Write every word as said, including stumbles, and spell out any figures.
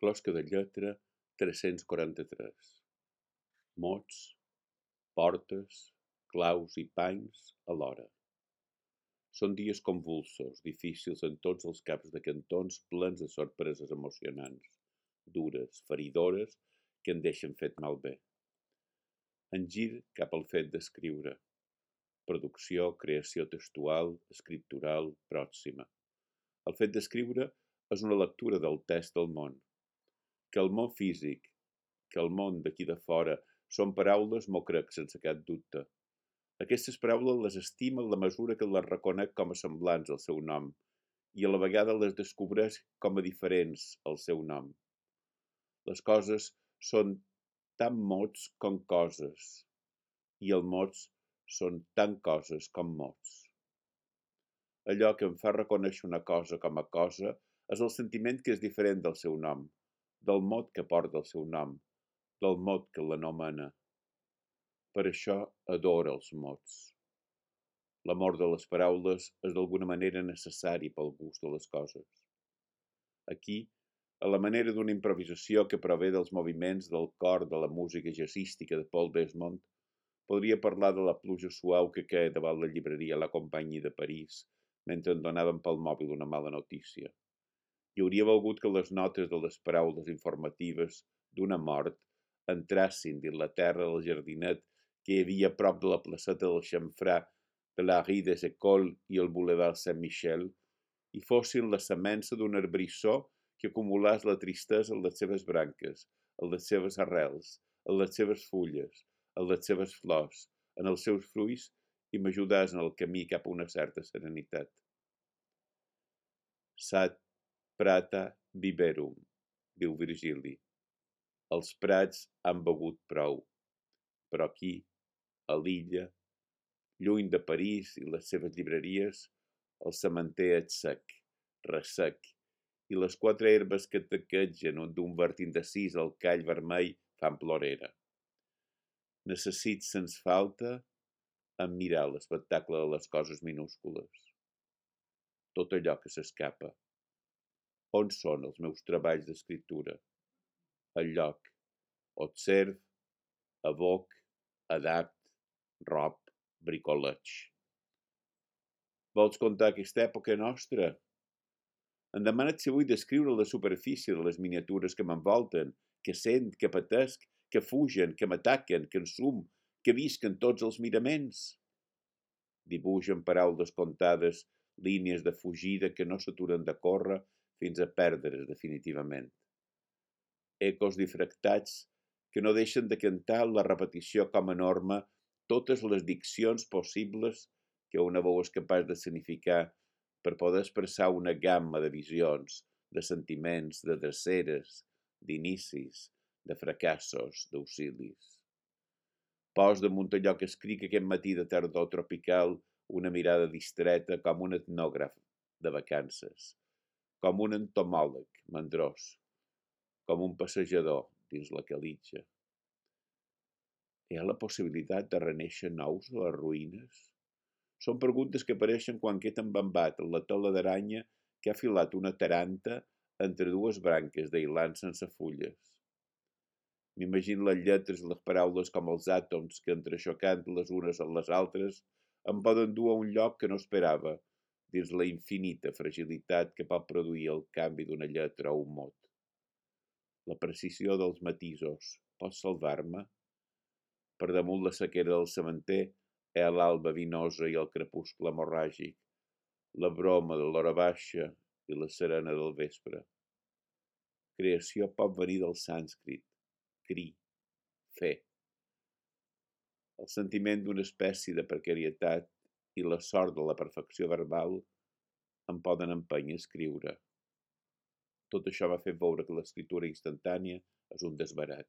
Closca de lletra tres-cents quaranta-tres. Mots, portes, claus i panys alhora. Són dies convulsos, difícils en tots els caps de cantons, plens de sorpreses emocionants, dures, feridores, que en deixen fet malbé. En gir cap al fet d'escriure. Producció, creació textual, escriptural, pròxima. El fet d'escriure és una lectura del text del món. Que el món físic, que el món d'aquí de fora, són paraules, m'ho crec sense cap dubte. Aquestes paraules les estimo en la mesura que les reconec com a semblants al seu nom i a la vegada les descobreix com a diferents al seu nom. Les coses són tan mots com coses i els mots són tant coses com mots. Allò que em fa reconèixer una cosa com a cosa és el sentiment que és diferent del seu nom, del mot que porta el seu nom, del mot que l'anomena. Per això adoro els mots. L'amor de les paraules és d'alguna manera necessari pel gust de les coses. Aquí, a la manera d'una improvisació que prové dels moviments del cor de la música jazzística de Paul Desmond, podria parlar de la pluja suau que queia davant la llibreria La Compagnie de París mentre em donaven pel mòbil una mala notícia. I hauria volgut que les notes de les paraules informatives d'una mort entrassin dins la terra del jardinet que hi havia a prop de la placeta del xamfrà de la Rue des Écoles i el Boulevard Saint-Michel i fossin la semença d'un arbrissó que acumulàs la tristesa en les seves branques, en les seves arrels, en les seves fulles, en les seves flors, en els seus fruits i m'ajudàs en el camí cap a una certa serenitat. Sat prata biberum, diu Virgili. Els prats han begut prou, però aquí, a l'illa, lluny de París i les seves llibreries, el sementer és sec, ressec, i les quatre herbes que taquegen d'un verd indecís al call vermell fan plorera. Necessit, sens falta, admirar l'espectacle de les coses minúscules. Tot allò que s'escapa. On són els meus treballs d'escriptura? El lloc. Observ, evoc, adapt, rob, bricoleig. Vols contar aquesta època nostra? Em demanes si vull descriure la superfície de les miniatures que m'envolten, que sent, que patesc, que fugen, que m'ataquen, que ensum, que visquen tots els miraments. Dibuix amb paraules comptades, línies de fugida que no s'aturen de córrer fins a perdre's definitivament. Ecos difractats que no deixen de cantar la repetició com a norma totes les diccions possibles que una veu és capaç de significar per poder expressar una gamma de visions, de sentiments, de dreceres, d'inicis, de fracassos, d'auxilis. Pos damunt allò que escric aquest matí de tardor tropical una mirada distreta com un etnògraf de vacances, com un entomòleg mandrós, com un passejador dins la calitja. Hi ha la possibilitat de renéixer nous a les ruïnes? Són preguntes que apareixen quan queda embambat en la tela d'aranya que ha filat una taranta entre dues branques d'ailant sense fulles. M'imagino les lletres i les paraules com els àtoms que, entrexocant les unes amb les altres, em poden dur a un lloc que no esperava, dins la infinita fragilitat que pot produir el canvi d'una lletra o un mot. La precisió dels matisos pot salvar-me? Per damunt la sequera del sementer hi ha l'alba vinosa i el crepuscle hemorràgic, la broma de l'hora baixa i la serena del vespre. Creació pot venir del sànscrit, cri, fer. El sentiment d'una espècie de precarietat i la sort de la perfecció verbal em poden empènyer a escriure. Tot això m'ha fet veure que l'escriptura instantània és un desbarat.